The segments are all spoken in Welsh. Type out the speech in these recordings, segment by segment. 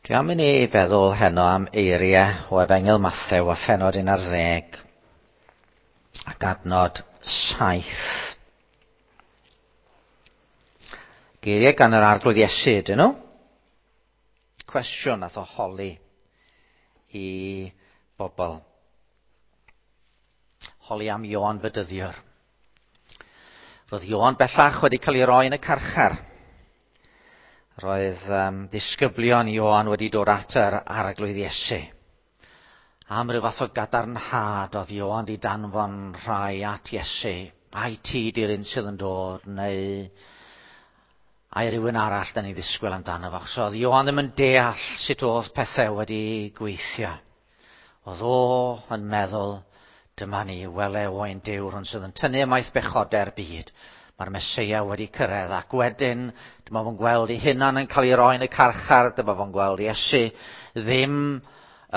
Dwi am i ni feddwl heno am eiriau o Efengyl Mathew a phenod 11 ac adnod 7. Geiriau gan yr Arglwydd Iesu ydyn nhw. Cwestiwn nath o holi i bobl. Holi am Ioan Fedyddiwr. Roedd Ioan bellach wedi cael ei roi yn y carchar. Roedd um, disgyblion Ioan wedi dod at yr Arglwydd Iesu. Am ryw fath o gadarnhad oedd Ioan di danfon rhai at Iesu. Ai ti di'r un sydd yn dod, neu ai rhywun arall da ni ddisgwyl amdano fo. So oedd Ioan ddim yn deall sut oedd pethau wedi gweithio. Oedd o yn meddwl, dyma ni, wele oen Duw, rhwng sydd yn tynnu ymaith bechodau'r byd. Mae'r Meseia wedi cyrraedd, ac wedyn dyma fo'n gweld ei hunan yn cael ei roi yn y carchar, dyma fo'n gweld Iesu ddim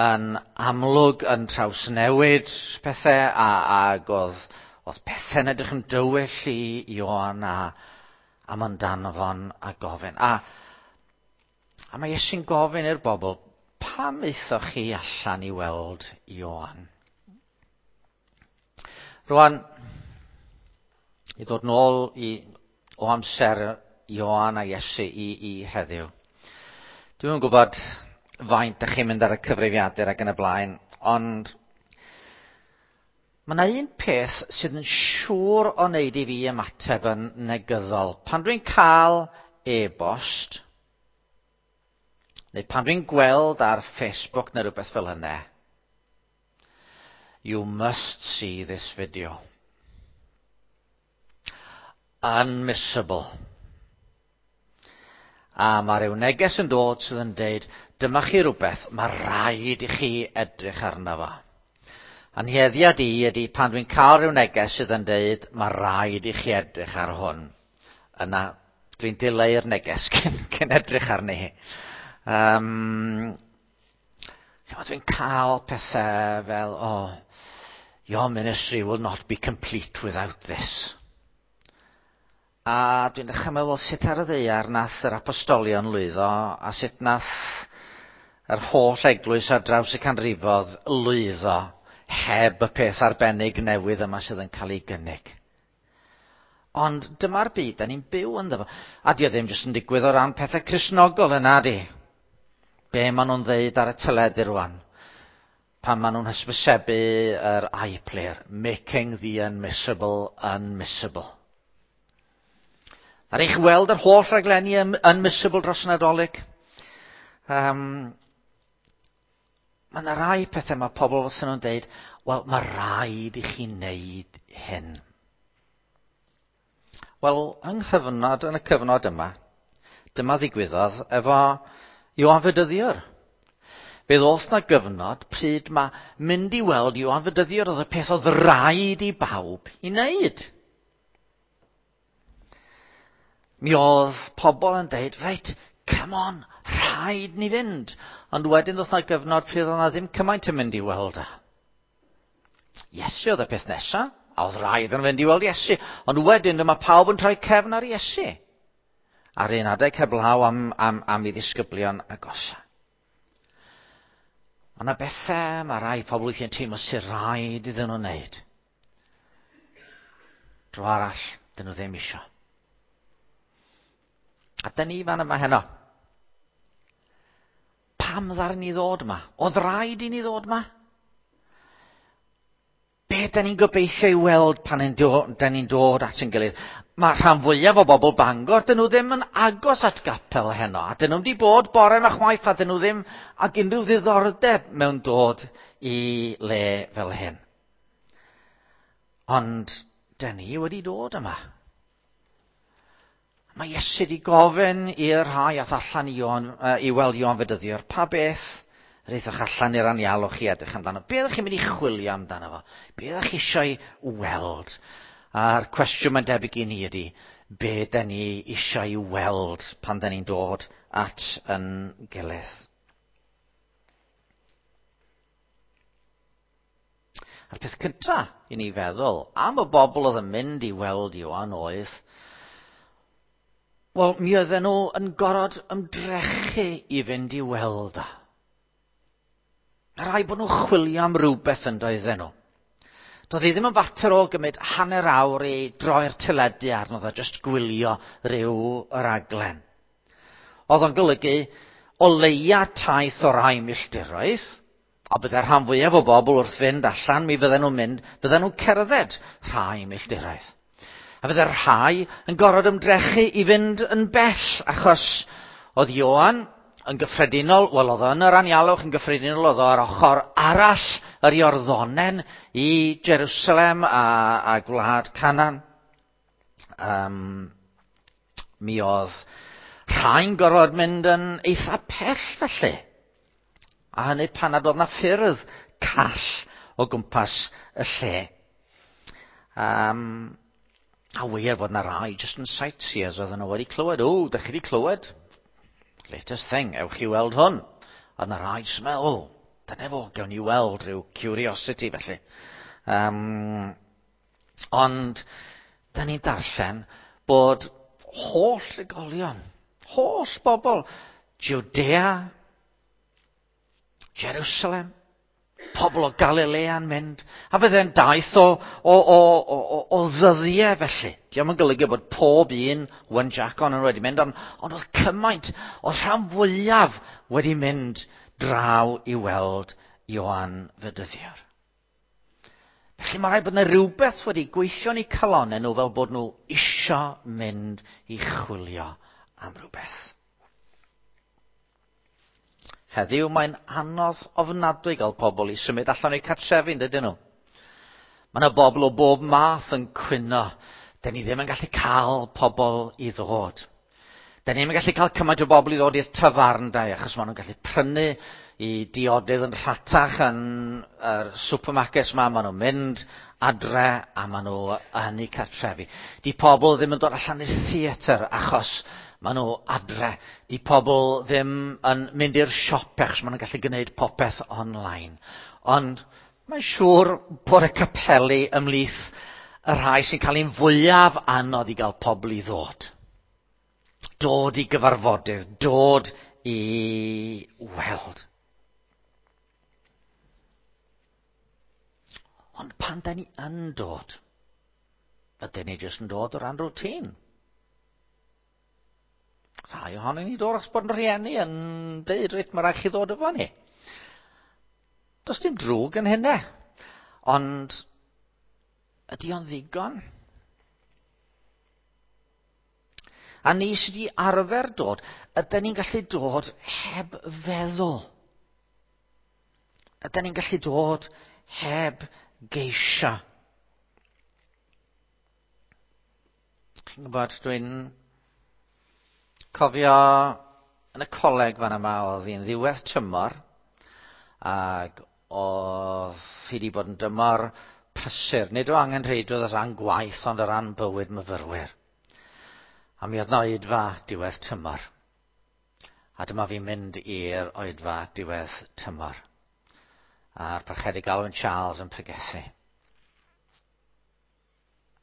yn amlwg yn trawsnewid pethau, a, ac oedd, oedd pethau'n edrych yn dywyll i Ioan, a, a mae'n danfon a gofyn. A, a mae Iesu'n gofyn i'r bobl, pam aethoch chi allan i weld Ioan? Rwan, i ddod nôl i, o amser Ioan a Iesu i, i heddiw. Dwi'm yn gwybod faint ydych chi'n mynd ar y cyfrifiadur ac yn y blaen, ond mae yna un peth sydd yn siŵr o wneud i fi ymateb yn negyddol. Pan dwi'n cael e-bost, neu pan dwi'n gweld ar Facebook neu rhywbeth fel hynny, You must see this video. Unmissable. A mae rhyw neges yn dod sydd yn deud, dyma chi rhywbeth, mae rhaid i chi edrych arno fo. A'n heddiad i ydy pan dwi'n cael rhyw neges sydd yn deud, mae rhaid i chi edrych ar hwn. Yna, dwi'n dileu'r neges cyn, cyn edrych arni. Um, Chimod, dwi'n cael pethau fel, oh, your ministry will not be complete without this. A dwi'n dechrau meddwl sut ar y ddaear nath yr apostolion lwyddo a sut nath yr holl eglwys ar draws y canrifodd lwyddo heb y peth arbennig newydd yma sydd yn cael ei gynnig. Ond dyma'r byd da ni'n byw ynddo fo. A di o ddim jyst yn digwydd o ran pethau Cristnogol yna di. Be maen nhw'n ddeud ar y teledu rwan? Pan maen nhw'n hysbysebu yr iPlayer, making the unmissable unmissable. Ar eich weld yr holl raglenni unmissable dros y Nadolig? Um, mae yna rai pethau mae pobl fysa nhw'n deud, wel, mae rhaid i chi wneud hyn. Wel, yng nghyfnod, yn y cyfnod yma, dyma ddigwyddodd efo Ioan Fedyddiwr. Fe ddoth na gyfnod pryd mae mynd i weld Ioan Fedyddiwr oedd y peth oedd rhaid i bawb i wneud. Mi oedd pobl yn deud, reit, come on, rhaid ni fynd. Ond wedyn ddoth na gyfnod pryd oedd na ddim cymaint yn mynd i weld e. Iesu oedd y peth nesa, a oedd rhaid yn fynd i weld Iesu. Ond wedyn dyma pawb yn troi cefn ar Iesu. Ar un adeg heblaw am, am, am i ddisgyblion agosa. Ond na bethau mae rai pobl weithiau'n teimlo sy'n rhaid iddyn nhw wneud. Dro arall, dyn nhw ddim isio. A dyn ni fan yma heno. Pam ddaru ni ddod yma? Oedd rhaid i ni ddod yma? Be da ni'n gobeithio i weld pan da ni'n dod at ein gilydd? Mae rhan fwyaf o bobl Bangor, dyn nhw ddim yn agos at gapel heno, a dyn nhw wedi bod bore yma chwaith, a dyn nhw ddim ag unrhyw ddiddordeb mewn dod i le fel hyn. Ond dyn ni wedi dod yma. Mae Iesu wedi gofyn i'r rhai ath allan i, Ioan, i weld Ioan Fedyddiwr, pa beth yr aethoch allan i'r anialwch i edrych amdano? Be ydych chi'n mynd i chwilio amdano fo? Be ydych chi eisiau weld? A'r cwestiwn mae'n debyg i ni ydy, be da ni eisiau weld pan da ni'n dod at yn gilydd? A'r peth cynta i ni feddwl am y bobl oedd yn mynd i weld Ioan oedd, Wel, mi oedden nhw yn gorfod ymdrechu i fynd i weld o. Mae rhaid bod nhw'n chwilio am rywbeth yn doedden nhw. Doedd hi ddim yn fater o gymryd hanner awr i droi'r teledu arno fo, jyst gwylio rhyw raglen. Oedd o'n golygu o leia taith o rai milltiroedd, a bydde'r rhan fwyaf o bobl wrth fynd allan, mi fydden nhw'n mynd, bydden nhw'n cerdded rhai milltiroedd. A bydde'r rhai yn gorfod ymdrechu i fynd yn bell, achos oedd Ioan yn gyffredinol, wel oedd o yn yr anialwch yn gyffredinol, oedd o ar ochr arall yr Iorddonen i Jerusalem a gwlad Canaan. Mi oedd rhai'n gorfod mynd yn eitha pell felly. A hynny pan nad oedd na ffyrdd call o gwmpas y lle. A wir fod na rai jyst yn sightseers oedden nhw wedi clywed, o, dych chi wedi clywed? Latest thing, ewch i weld hwn. A na rai jyst yn meddwl, o, dyna fo, gewn ni weld rhyw curiosity felly. Ond, da ni'n darllen bod holl drigolion, holl bobl, Judea, Jerusalem, pobl o Galilea'n mynd, a fydde'n daith o ddyddiau felly. Dio'm yn golygu bod pob un one jack on yn wedi mynd, ond oedd cymaint, oedd rhan fwyaf wedi mynd draw i weld Ioan Fedyddiwr. Felly mae rhaid bod yna rhywbeth wedi gweithio yn eu calonnau nhw fel bod nhw isio mynd i chwilio am rhywbeth. Heddiw mae'n anodd ofnadwy gael pobl i symud allan o'u cartrefi, yn dydyn nhw? Mae yna bobl o bob math yn cwyno. Dyn ni ddim yn gallu cael pobl i ddod. Dyn ni ddim yn gallu cael cymaint o bobl i ddod i'r tafarndai, achos maen nhw'n gallu prynu i diodydd yn rhatach yn yr supermarkets ma. Maen nhw'n mynd adre a maen nhw yn eu cartrefi. Di pobl ddim yn dod allan i'r theatr achos maen nhw adre. Di pobl ddim yn mynd i'r siop achos maen nhw'n gallu gwneud popeth online. Ond mae'n siŵr bod y capeli ymhlith y rhai sy'n cael ein fwyaf anodd i gael pobl i ddod. Dod i gyfarfodydd, dod i weld. Ond pan da ni yn dod, ydyn ni jyst yn dod o ran routine. Rhai ohonyn ni dod achos bod yn rhieni yn deud, reit, mae rhaid chi ddod efo ni. Does dim drwg yn hynna. Ond ydy o'n ddigon? A ni sydd wedi arfer dod, ydyn ni'n gallu dod heb feddwl? Ydyn ni'n gallu dod heb geisio? Chi'n gwybod, dwi'n cofio yn y coleg fan yma, oedd hi'n ddiwedd tymor, ac oedd hi wedi bod yn dymor prysur. Nid o angenrheidrwydd o ran gwaith, ond o ran bywyd myfyrwyr. A mi oedd 'na oedfa diwedd tymor. A dyma fi'n mynd i'r oedfa diwedd tymor. A'r Parchedig Alwyn Charles yn pregethu.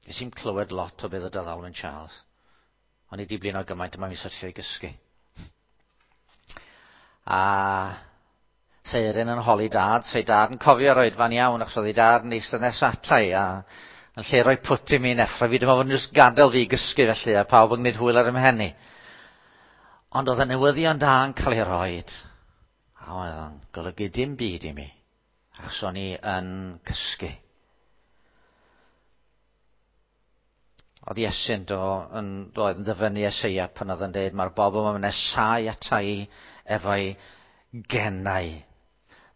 Nes i'm clywed lot o beth oedd Alwyn Charles. O'n i 'di blino gymaint yma mi'n syrthio i gysgu. A Seirin yn holi dad, sei dad yn cofio'r oedfa'n iawn, achos oedd ei dad yn eistedd nes ata i, a yn lle rhoi pwt i mi neffro fi, dyma fod yn jyst gadael fi gysgu felly, a pawb yn gwneud hwyl ar 'y mhen i. Ond oedd y newyddion da yn cael ei roed, a oedd o'n golygu dim byd i mi, achos o'n i yn cysgu. Oedd Iesu'n do, yn, doedd yn dyfynnu Eseia pan oedd yn dweud, mae'r bobl yma'n nesáu ata i efo'i genau.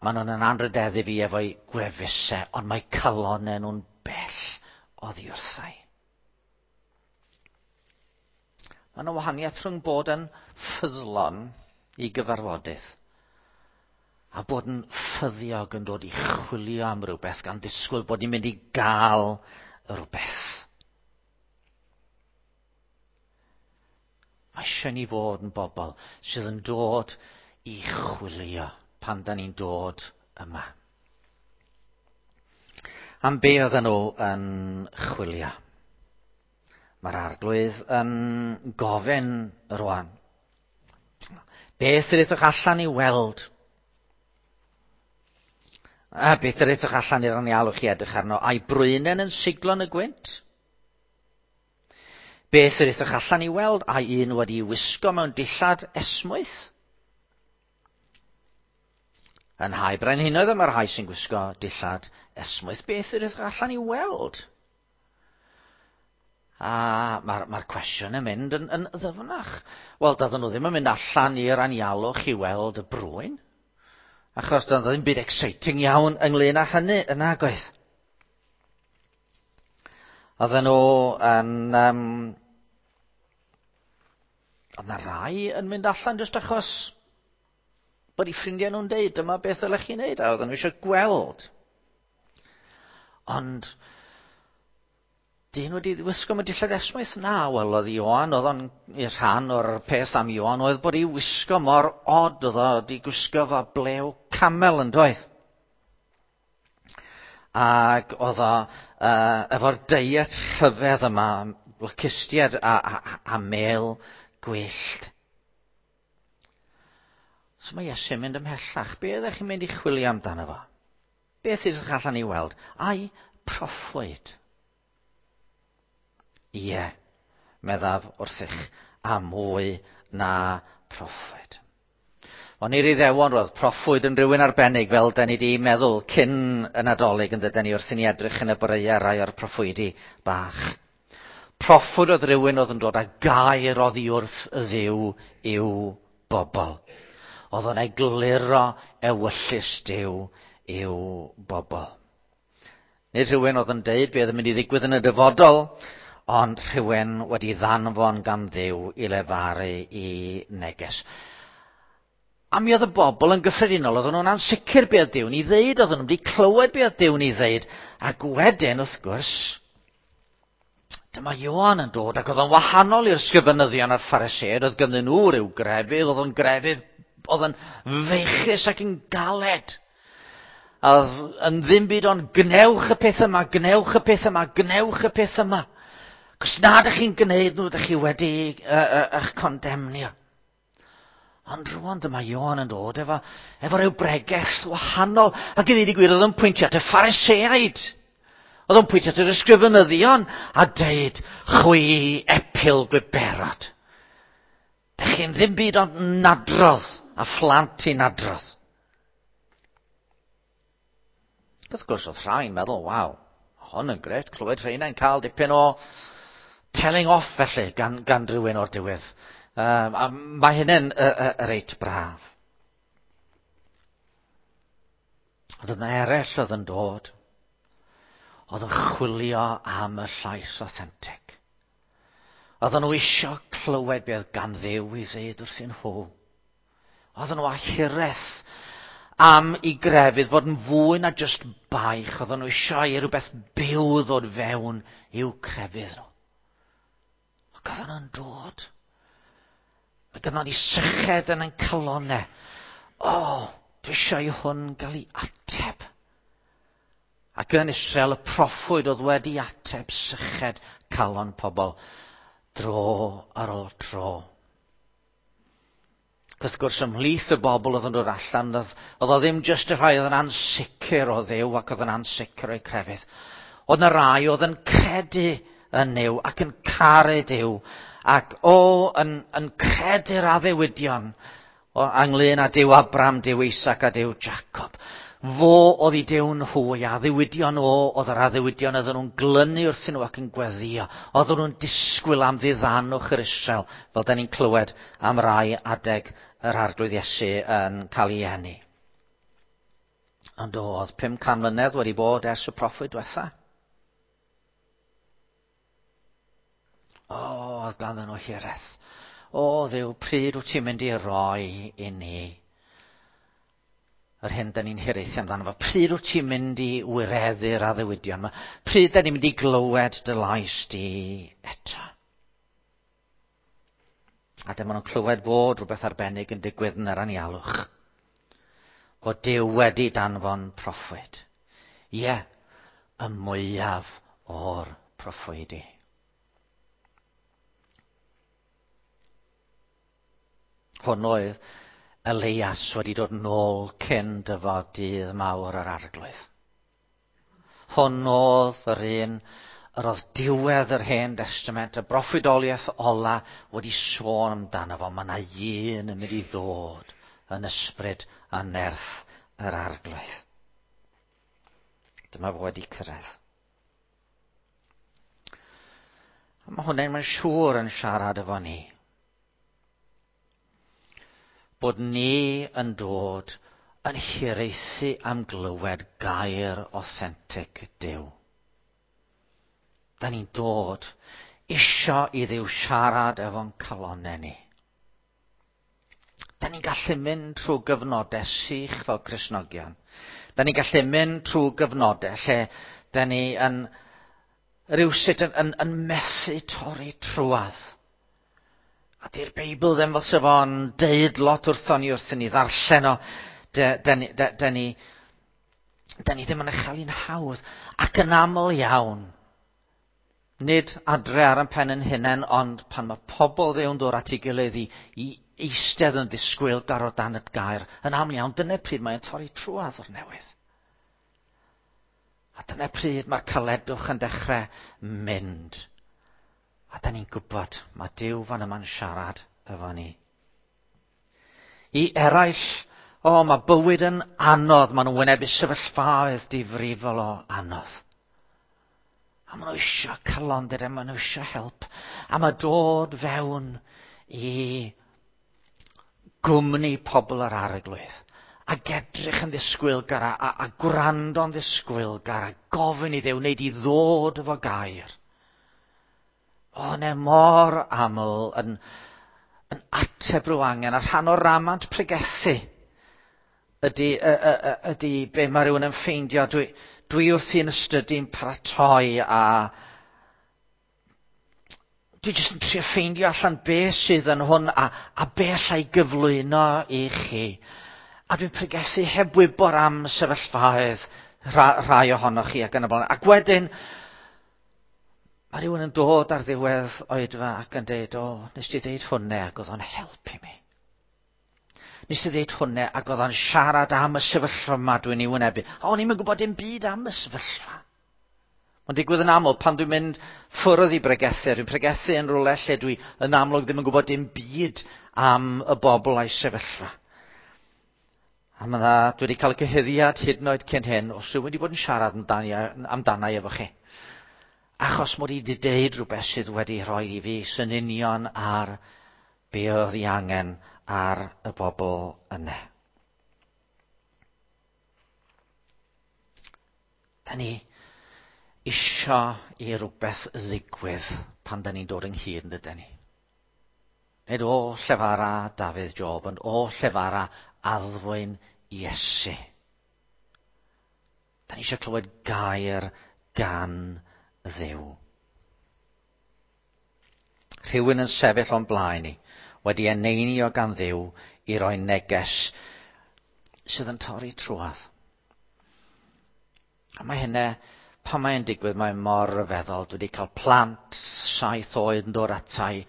Maen nhw'n yn anrhydeddu fi efo'i gwefusau, ond mae calonnau nhw'n bell oddi wrthai. Mae yna wahaniaeth rhwng bod yn ffyddlon i gyfarfodydd a bod yn ffyddiog yn dod i chwilio am rhywbeth gan ddisgwyl bod ni'n mynd i gael rhywbeth. Mae eisiau ni fod yn bobl sydd yn dod i chwilio pan da ni'n dod yma. Am be oedden nhw yn chwilio? Mae'r arglwydd yn gofyn rwan. Beth yr ydych allan i weld? A beth yr ydych allan i'r anialwch i edrych arno? A'i brwynen yn siglo yn y gwynt? Beth yr ydych allan i weld? Ai un wedi wisgo mewn dillad esmwyth? Yn hau brenhinoedd y mae'r rhai sy'n gwisgo dillad esmwyth. Beth yr ydych allan i weld? A mae'r mae cwestiwn yn mynd yn, yn ddyfnach. Wel, doedden nhw ddim yn mynd allan i'r anialwch i weld y brwyn. Achos doedd ddim byd exciting iawn ynglyn â hynny yn agoedd. Oedden nhw yn... Um, oedd na rai yn mynd allan jyst achos bod eu ffrindiau nhw'n deud dyma beth ddylech chi wneud a oedden nhw eisiau gweld. Ond dyn wedi wisgo mewn dillad esmwyth? Na, wel, oedd Ioan, oedd o'n rhan o'r peth am Ioan, oedd bod ei wisgo mor od, oedd o wedi gwisgo fo blew camel yn doedd. Ac oedd o uh, efo'r deiet rhyfedd yma, locustiad a, a, a mel gwyllt. So mae Iesu'n mynd ymhellach. Be ydych chi'n mynd i chwilio amdano fo? Beth ydych allan i weld? Ai proffwyd. Ie, meddaf wrthych, a mwy na proffwyd. Ond i'r Iddewon roedd proffwyd yn rhywun arbennig fel da ni wedi meddwl cyn y Nadolig yn dydyn ni wrth i ni edrych yn y boreau rai o'r proffwydi bach. Proffwyd oedd rhywun oedd yn dod â gair oddi wrth y Dduw i'w bobl. Oedd o'n egluro ewyllys Duw i'w bobl. Nid rhywun oedd yn deud beth oedd yn mynd i ddigwydd yn y dyfodol, ond rhywun wedi ddanfon gan Dduw i lefaru i neges. A mi oedd y bobl yn gyffredinol, oedden nhw'n ansicr beth oedd Duw'n ei ddeud, oedden nhw'n wedi clywed beth oedd Duw'n ei ddeud. Ac wedyn, wrth gwrs, dyma Ioan yn dod, ac oedd o'n wahanol i'r sgrifenyddion a'r Phariseaid, oedd ganddyn nhw rhyw grefydd, oedd o'n grefydd, oedd yn feichus ac yn galed. A oedd yn ddim byd ond gwnewch y peth yma, gwnewch y peth yma, gwnewch y peth yma. Cos na ydych chi'n gwneud nhw, ydych chi wedi uh, uh, eich condemnio. Ond rwan dyma Ioan yn dod efo, efo rhyw bregeth wahanol. Ac i ddweud y gwir, oedd yn pwyntio at y Phariseaid. Oedd o'n pwyntio at yr ysgrifenyddion a deud, chwi epil gwyberod. Dych chi'n ddim byd ond nadrodd a phlant i nadrodd. Wrth gwrs, oedd rhai'n meddwl, waw, hwn yn gret, clywed rheina'n cael dipyn o telling off felly gan, gan rhywun o'r diwedd. Um, a mae hynny'n uh, uh, reit braf. Ond oedd yna eraill oedd yn dod. Oedd yn chwilio am y llais authentic. Oedden nhw isio clywed beth gan Dduw i ddweud wrthyn nhw. Oedden nhw â hiraeth am i grefydd fod yn fwy na just baich. Oedden nhw eisiau i rhywbeth byw ddod fewn i'w crefydd nhw. Ac oedden nhw'n dod. Mae gynnon ni syched yn ein calonau. O, oh, dwi eisiau i hwn gael ei ateb. Ac yn Israel y proffwyd oedd wedi ateb syched calon pobl dro ar ôl tro. Ac wrth gwrs, ymhlith y bobl oedd yn dod allan, oedd, oedd o ddim jyst y rhai oedd yn ansicr o Dduw ac oedd yn ansicr o'i crefydd. Oedd yna rai oedd yn credu yn Nuw ac yn caru Duw ac o, yn, yn credu'r addewidion o, ynglyn â Duw Abram, Duw Isaac a Duw Jacob. Fo oedd i Duw nhw, a addewidion o, oedd yr addewidion oedden nhw'n glynu wrthyn nhw ac yn gweddio. Oedden nhw'n disgwyl am ddiddanwch yr Israel, fel da ni'n clywed am rai adeg yr Arglwydd Iesu yn cael ei eni. Ond oedd 500 mlynedd wedi bod ers y proffwyd diwetha. O, oedd ganddyn nhw hiraeth. O, Dduw, pryd wyt ti'n mynd i roi i ni yr hyn da ni'n hiraethu amdano fo? Pryd wyt ti'n mynd i wireddu'r addewidion yma? Pryd da ni'n mynd i glywed dy lais di eto? A dyma nhw'n clywed bod rhywbeth arbennig yn digwydd yn yr anialwch. Bod Duw wedi danfon proffwyd. Ie, y mwyaf o'r proffwydi. Hwn oedd Elias wedi dod nôl cyn dyfod dydd mawr yr arglwydd. Hwn oedd yr un yr oedd diwedd yr Hen Testament, y broffwydoliaeth ola wedi sôn amdano fo. Mae yna un yn mynd i ddod yn ysbryd a nerth yr arglwydd. Dyma fo wedi cyrraedd. A mae hwnna'n mae'n siŵr yn siarad efo ni. Bod ni yn dod yn hiraethu am glywed gair authentic Duw. Da ni'n dod isio i Dduw siarad efo'n calonnau ni. Da ni'n gallu mynd trwy gyfnodau sych fel Cristnogion. Da ni'n gallu mynd trwy gyfnodau lle da ni yn rhywsut yn methu torri trwadd. A di'r Beibl ddim fel sef o'n deud lot wrthon ni wrth i ni ddarllen o. Da ni ddim yn ei chael hi'n hawdd. Ac yn aml iawn, nid adre ar ein pen yn hunain, ond pan mae pobl Dduw'n dod at ei gilydd i eistedd yn ddisgwylgar o dan y gair, yn aml iawn, dyna pryd mae'n torri trwadd o'r newydd. A dyna pryd mae'r caledwch yn dechrau mynd. A da ni'n gwybod, mae Duw fan yma'n siarad efo ni. I eraill, mae bywyd yn anodd, maen nhw'n wynebu sefyllfaoedd difrifol o anodd. A maen nhw eisiau calondid, a maen nhw eisiau help. A mae dod fewn i gwmni pobl yr arglwydd. Ac edrych yn ddisgwylgar, a gwrando'n ddisgwylgar, a gofyn i Dduw wneud i ddod efo gair. O, ne mor aml yn ateb rhyw angen, a rhan o'r ramant pregethu ydy be mae rhywun yn ffeindio. Dwi wrthi'n ystydu'n paratoi a dwi jyst yn trio ffeindio allan be sydd yn hwn a be allai gyflwyno i chi. A dwi'n pregethu heb wybod am sefyllfaoedd rhai ohonoch chi ac yn y blaen. Ac wedyn, mae rhywun yn dod ar ddiwedd oedfa ac yn deud, nes ti ddeud hwnna ac oedd o'n helpu mi. Nes ti ddeud hwnna ac oedd o'n siarad am y sefyllfa yma dwi'n ei wynebu. A o'n i'm yn gwybod dim byd am y sefyllfa. Mae'n digwydd yn aml pan dwi'n mynd ffwrdd i bregethu. Dwi'n pregethu yn rhywle lle dwi yn amlwg ddim yn gwybod dim byd am y bobl a'i sefyllfa. A dwi wedi cael cyhuddiad hyd yn oed cyn hyn os rhywun wedi bod yn siarad amdana i efo chi. Achos mod i wedi deud rhywbeth sydd wedi rhoi i fi sy'n union ar be oedd ei angen ar y bobl yna. Da ni isio i rhywbeth ddigwydd pan da ni'n dod ynghyd yn dydyn ni. Nid o llefara Dafydd Job, ond o llefara addfwyn Iesu. Da ni eisiau clywed gair gan Dduw. Rhywun yn sefyll o'n blaen ni, wedi eneinio gan Dduw i roi neges sydd yn torri trwadd. A mae hynna, pan mae'n digwydd, mae'n mor ryfeddol. Dwi wedi cael plant 7 oed yn dod atai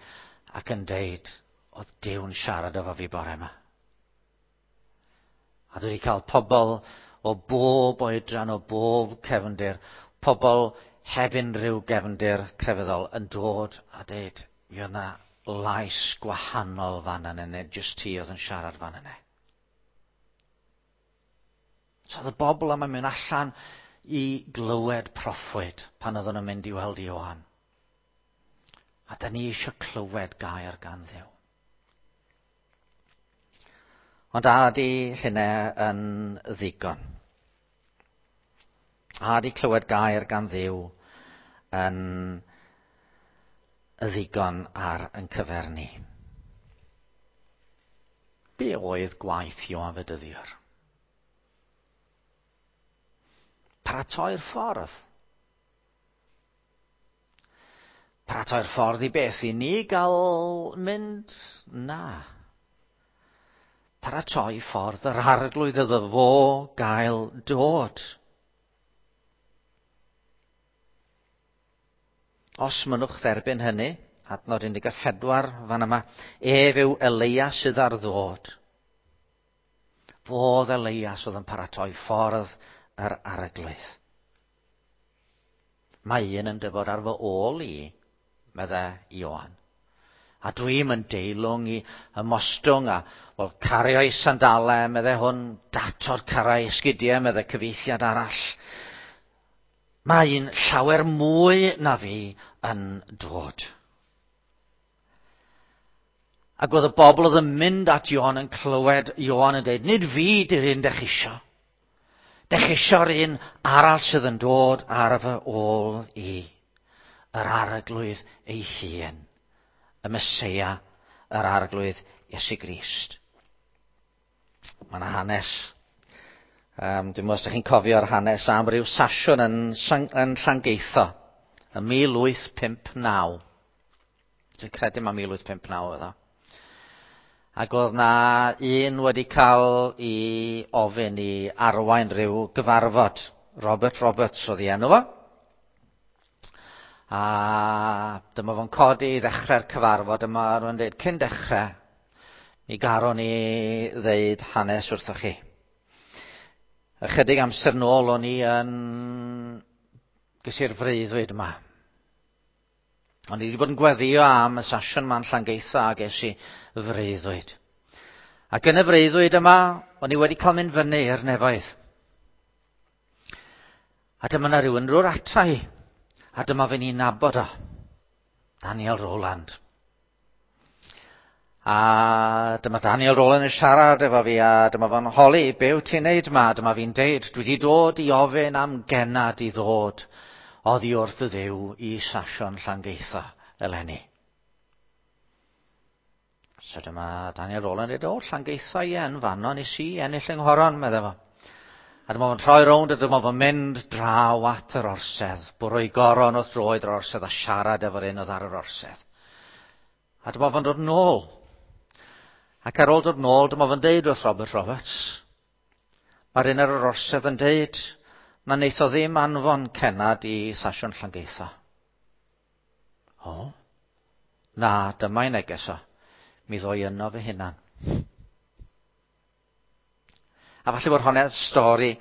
ac yn deud, oedd Duw'n siarad efo fi bore yma. A dwi wedi cael pobl o bob oedran, o bob cefndir, pobl heb unrhyw gefndir crefyddol yn dod a deud, mi oedd yna lais gwahanol fan yna, neu jyst ti oedd yn siarad fan yna. So oedd y bobl yma'n mynd allan i glywed proffwyd pan oedden nhw'n mynd i weld Ioan. A da ni eisiau clywed gair gan Dduw. Ond a ydy hynna yn ddigon? A ydy clywed gair gan Dduw yn ddigon ar yn cyfer ni? Be oedd gwaith Ioan Fedyddiwr? Paratoi'r ffordd. Paratoi'r ffordd i beth i ni gael mynd? Na. Paratoi ffordd yr arglwydd iddo fo gael dod. Os mynnwch dderbyn hynny, Adnod 14 fan yma. Ef yw Eleia sydd ar ddod. Fodd Elias oedd yn paratoi ffordd yr arglwydd. Mae un yn dyfod ar fy ôl i, medde Ioan. A dwi'm yn deilwng i ymostwng a, wel, cario ei sandalau, medde hwn, datod carau esgidiau, medde cyfieithiad arall. Mae un llawer mwy na fi yn dod. Ac oedd y bobl oedd yn mynd at Ioan yn clywed Ioan yn dweud, nid fi di'r un dech isio. Dech isio'r un arall sydd yn dod ar fy ôl i. Yr arglwydd ei hun. Y Meseia, yr arglwydd Iesu Grist. Mae yna hanes. Um, dwi'n meddwl os ydych chi'n cofio'r hanes am ryw sasiwn yn, yn Llangeitho yn 1859. Dwi'n credu mae 1859 oedd o. Ac oedd na un wedi cael i ofyn i arwain rhyw gyfarfod. Robert Roberts oedd ei enw fo. A dyma fo'n codi i ddechrau'r cyfarfod yma, rwy'n dweud, cyn dechrau, mi garon ni ddeud hanes wrthoch chi. Ychydig amser nôl o'n i yn... ges i'r freuddwyd yma. O'n i wedi bod yn gweddio am y sasiwn ma'n Llangeitho a ges i freuddwyd. Ac yn y freuddwyd yma, o'n i wedi cael mynd fyny i'r nefoedd. A dyma na rhywun rwy'r ata i. A dyma fe ni'n nabod o. Daniel Rowland. A dyma Daniel Rowland yn siarad efo fi a dyma fo'n holi, be wyt ti'n neud ma? Dyma fi'n deud, dwi wedi dod i ofyn am genad i ddod oddi wrth y ddew i Sasion Llangeitho eleni. So dyma Daniel Rowland dweud, o, Llangeitho ie, yn fanno nes i ennill yng Nghoron, medde fo. A dyma fo'n troi rownd a dyma fo'n mynd draw at yr orsedd, bwrw ei goron wrth droed yr orsedd a siarad efo'r un oedd ar yr orsedd. A dyma fo'n dod nôl. Ac ar ôl dod nôl, dyma fo'n deud wrth Robert Roberts, mae'r un ar yr orsedd yn deud na wneith o ddim anfon cenad i Sasiwn Llangeitho. O, na, dyma'i neges o. Mi ddoi yno fy hunan. A falle bod hwnna'n stori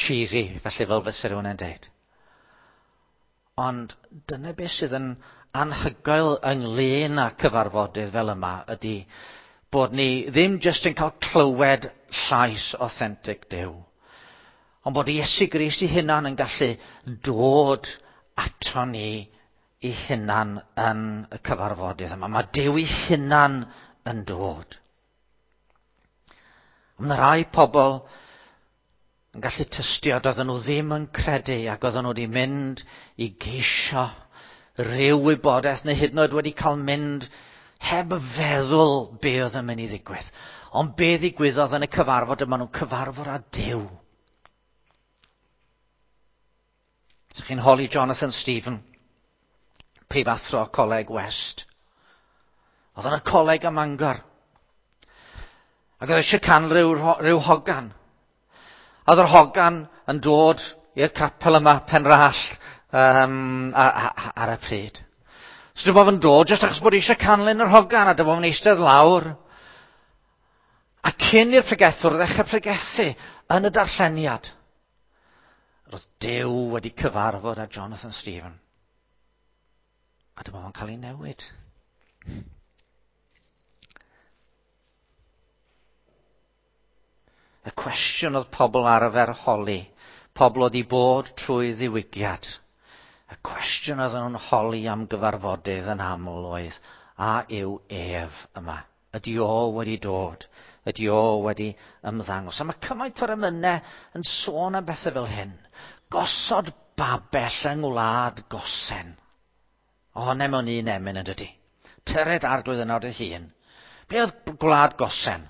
cheesy, felly fel fysa rhywun yn deud. Ond dyna beth sydd yn anhygoel ynglyn â cyfarfodydd fel yma ydy bod ni ddim jyst yn cael clywed llais authentic Duw, ond bod Iesu Grist ei hunan yn gallu dod ato ni ei hunan yn y cyfarfodydd yma. Mae Duw ei hunan yn dod. Ond mae rai pobl yn gallu tystio doedden nhw ddim yn credu ac oedden nhw wedi mynd i geisio rhyw wybodaeth neu hyd yn oed wedi cael mynd heb feddwl be oedd yn mynd i ddigwydd. Ond be ddigwyddodd yn y cyfarfod yma nhw'n cyfarfod â Duw. So chi'n holi Jonathan Stephen, prifathro Coleg West. Oedd yn y coleg ym Mangor. Ac oedd eisiau can rhyw, rhyw hogan. A oedd yr hogan yn dod i'r capel yma, Penrallt, um, ar y pryd. So dyma fo'n dod, jyst achos bod eisiau canlyn yr hogan, a dyma fo'n eistedd lawr. A cyn i'r pregethwr ddechrau pregethu yn y darlleniad, roedd Duw wedi cyfarfod â Jonathan Stephen. A dyma fo'n cael ei newid. Y cwestiwn oedd pobl arfer holi, pobl oedd i bod trwy ddiwygiad. Y cwestiwn oedd nhw'n holi am gyfarfodydd yn aml oedd, a yw ef yma? Ydy o wedi dod? Ydy o wedi ymddangos? A mae cymaint o'r emynau yn sôn am bethau fel hyn. Gosod babell yng ngwlad Gosen. Ohone mewn un emyn yn dydy. Tyred arglwydd yno dy hun. Ble oedd gwlad Gosen?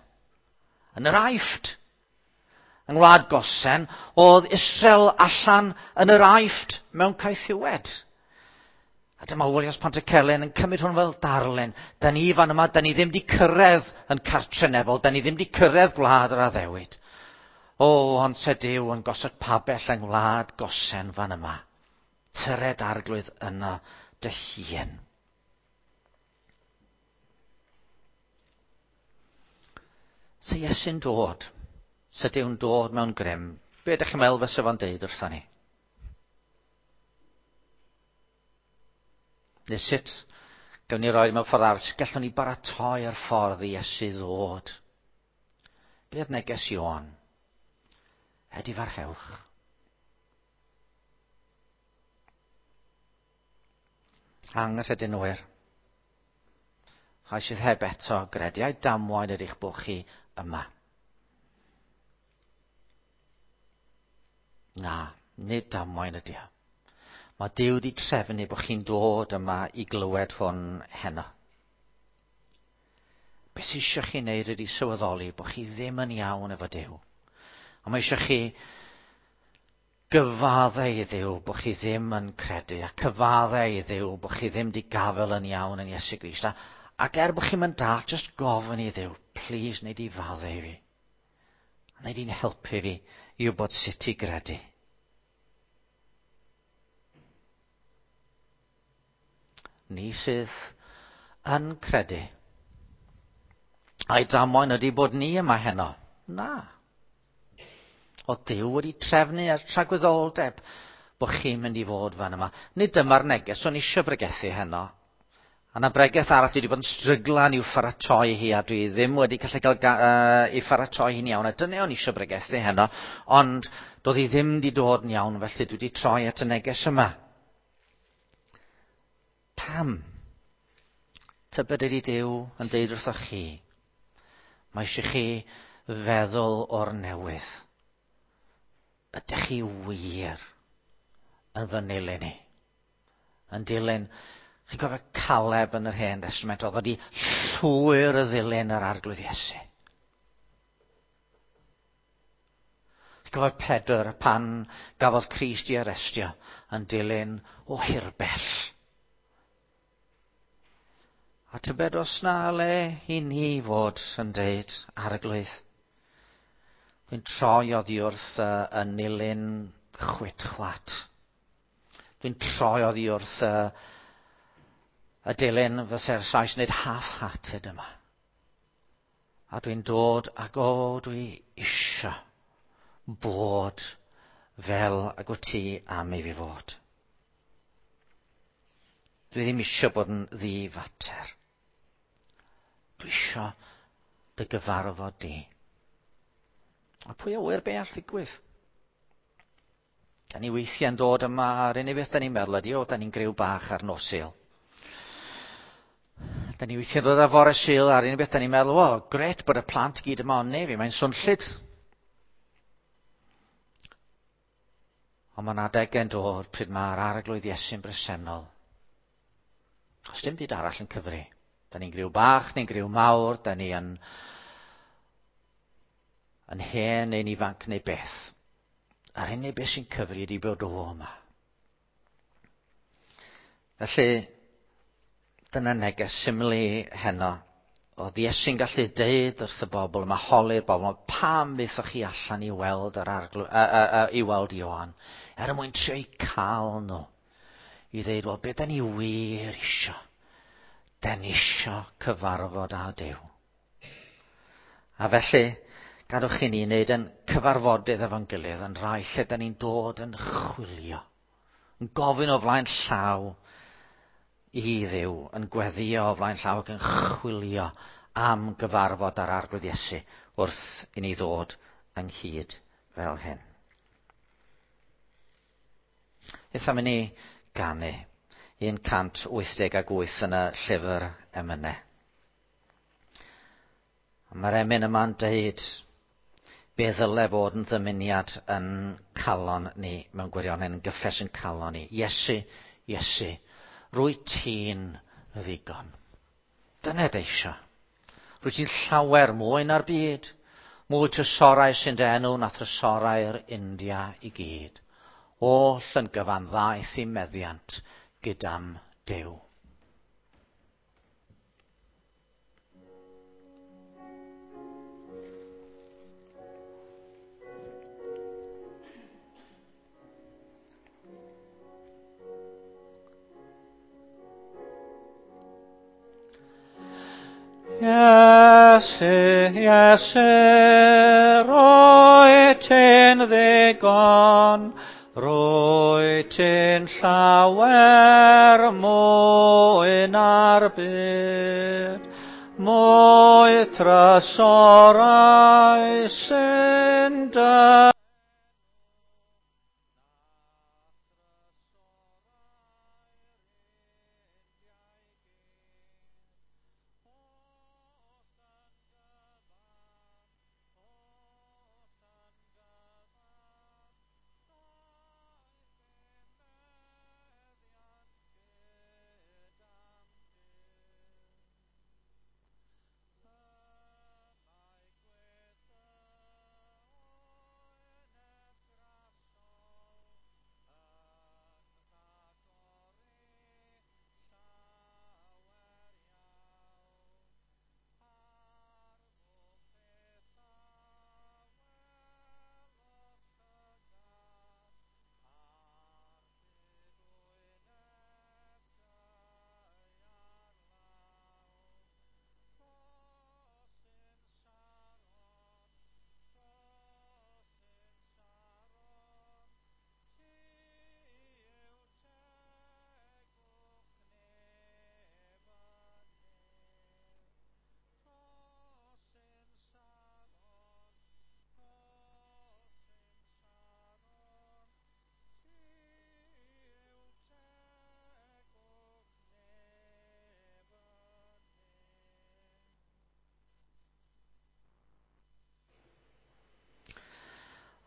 Yn yr Aifft. Yng ngwlad Gosen, oedd Israel allan yn yr Aifft mewn caethiwed. A dyma Williams Pantycelyn yn cymryd hwn fel darlun. Da ni fan yma, da ni ddim wedi cyrraedd yn cartre nefol, da ni ddim wedi cyrraedd gwlad yr addewid. O, ond se Duw yn gosod pabell yng ngwlad Gosen fan yma. Tyred arglwydd yno dy hun. Se Iesu'n dod, se Duw'n dod mewn grym, be ydych chi'n meddwl fysa fo'n deud wrthon ni? Neu sut gawn ni roi mewn ffordd arall, sut gallwn ni baratoi ar ffordd i Iesu ddod? Be oedd neges Ioan? Edifarhewch. Anghredinwyr. Rhai sydd heb eto gredu, ai damwain ydych bod chi yma? Na, nid damwain ydy o. Mae Duw wedi trefnu bod chi'n dod yma i glywed hwn heno. Be sydd eisiau chi wneud ydy sylweddoli bod chi ddim yn iawn efo Duw. A mae eisiau chi gyfaddau i Dduw bod chi ddim yn credu, a cyfaddau i Dduw bod chi ddim wedi gafael yn iawn yn Iesu Grist. A, ac er bod chi'n mynd dall, just gofyn i Dduw, please, wneud i faddau i fi. A wneud i'n helpu fi i wybod sut i gredu. Ni sydd yn credu. Ai damwain ydy bod ni yma heno? Na. Oedd Duw wedi trefnu ar tragwyddoldeb bod chi'n mynd i fod fan yma. Nid dyma'r neges o'n eisiau bregethu heno. A na bregeth arall dwi wedi bod yn stryglan i'w pharatoi hi a dwi ddim wedi gallu cael ei pharatoi hi'n iawn. A dyna o'n eisiau bregethu heno, ond doedd hi ddim wedi dod yn iawn, felly dwi wedi troi at y neges yma. Pam? Tybed ydy Duw yn deud wrthoch chi, mae eisiau chi feddwl o'r newydd. Ydych chi wir yn fy nilyn i? Yn dilyn, chi'n cofio Caleb yn yr Hen Testament, oedd wedi llwyr y ddilyn yr Arglwydd Iesu. Chi'n cofio Pedr pan gafodd Crist i arestio yn dilyn o hirbell. A tybed os na le i ni fod yn deud, Arglwydd, dwi'n troi oddi wrth y nilyn chwit chwat. Dwi'n troi oddi wrth y dilyn fyse'r Sais yn dweud half-hearted yma. A dwi'n dod ac o, dwi isio bod fel ag wyt ti am i fi fod. Dwi ddim isio bod yn ddifater. Dwi isio dy gyfarfod di. A pwy a ŵyr be all ddigwydd? Da ni weithiau'n dod yma, a'r unig beth da ni'n meddwl ydy, o, da ni'n griw bach ar nos Sul. Da ni weithiau'n dod ar fore Sul, a'r unig beth da ni'n meddwl, o, gret bod y plant gyd yma, ond ne fi, mae'n swnllyd. Ond mae'n adegau'n dod pryd mae'r Arglwydd Iesu'n bresennol. Os dim byd arall yn cyfri. Da ni'n griw bach neu'n griw mawr, da ni yn hen neu'n ifanc neu beth. A'r unig beth sy'n cyfri ydy bod o yma. Felly, dyna neges syml i heno. Oedd Iesu'n gallu deud wrth y bobl yma, holi'r bobl yma, pam ddaethoch chi allan i weld yr arglwydd, i weld Ioan, er mwyn trio eu cael nhw. I ddeud, wel, be da ni wir isio? Da ni isio cyfarfod â Duw. A felly, gadwch chi ni wneud yn cyfarfodydd efo'n gilydd yn rhai lle da ni'n dod yn chwilio, yn gofyn o flaen llaw i Dduw, yn gweddio o flaen llaw ac yn chwilio am gyfarfod â'r Arglwydd Iesu wrth i ni ddod ynghyd fel hyn. Beth am i ni ganu 188 yn y llyfr emynau. A mae'r emyn yma'n deud be ddyle fod yn ddymuniad yn calon ni mewn gwirionedd, yn gyffes yn calon ni. Iesu, Iesu, rwy ti'n ddigon. Dyna dy eisiau. Rwy ti'n llawer mwy na'r byd, mwy trysorau sy'n dy enw na thrysorau'r India i gyd. Oll yn gyfan ddaeth i meddiant gyda'm Duw. Iesu, Iesu, rwyt ti'n ddigon, rwyt ti'n llawer mwy na'r byd, mwy trysorau sy'n dy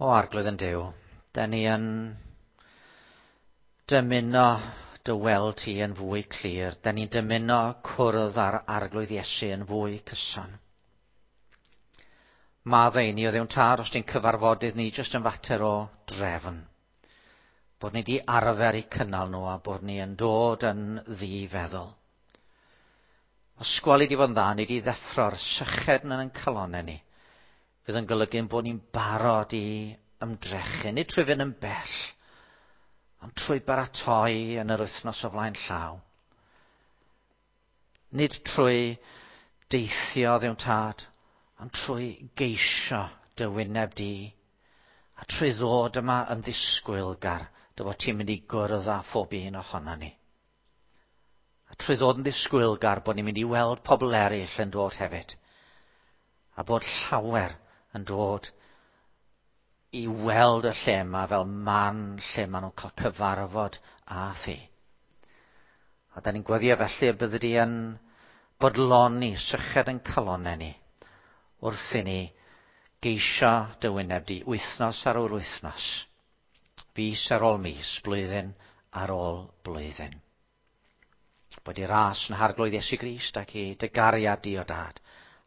O Arglwydd yn Duw, da ni yn dymuno dy weld ti yn fwy clir. Da ni'n dymuno cwrdd â'r Arglwydd Iesu yn fwy cyson. Maddau ni o Dduw'n Tad os ti'n cyfarfodydd ni jyst yn fater o drefn. Bod ni di arfer i cynnal nhw a bod ni yn dod yn ddi-feddwl. Os gweli di fod yn dda, ni di ddeffro'r syched yn ein calonnau ni. Fydd yn golygu bod ni'n barod i ymdrechu, nid trwy fynd yn bell, ond trwy baratoi yn yr wythnos o flaen llaw. Nid trwy deithio Dduw'n Tad, ond trwy geisio dy wyneb di, a trwy ddod yma yn ddisgwylgar dy fod ti'n mynd i gwrdd â phob un ohono ni. A trwy ddod yn ddisgwylgar bod ni'n mynd i weld pobl eraill yn dod hefyd. A bod llawer yn dod i weld y lle yma fel man lle maen nhw'n cael cyfarfod â thi. A da ni'n gweddio felly y byddi di yn bodloni syched yn calonnau ni wrth i ni geisio dy wyneb di wythnos ar ôl wythnos, fis ar ôl mis, blwyddyn ar ôl blwyddyn. Bod i ras yn Harglwydd Iesu Grist ac i dy gariad di o dad,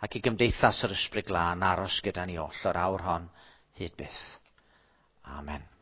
ac i gymdeithas yr Ysbryd Glân aros gyda ni oll o'r awr hon hyd byth. Amen.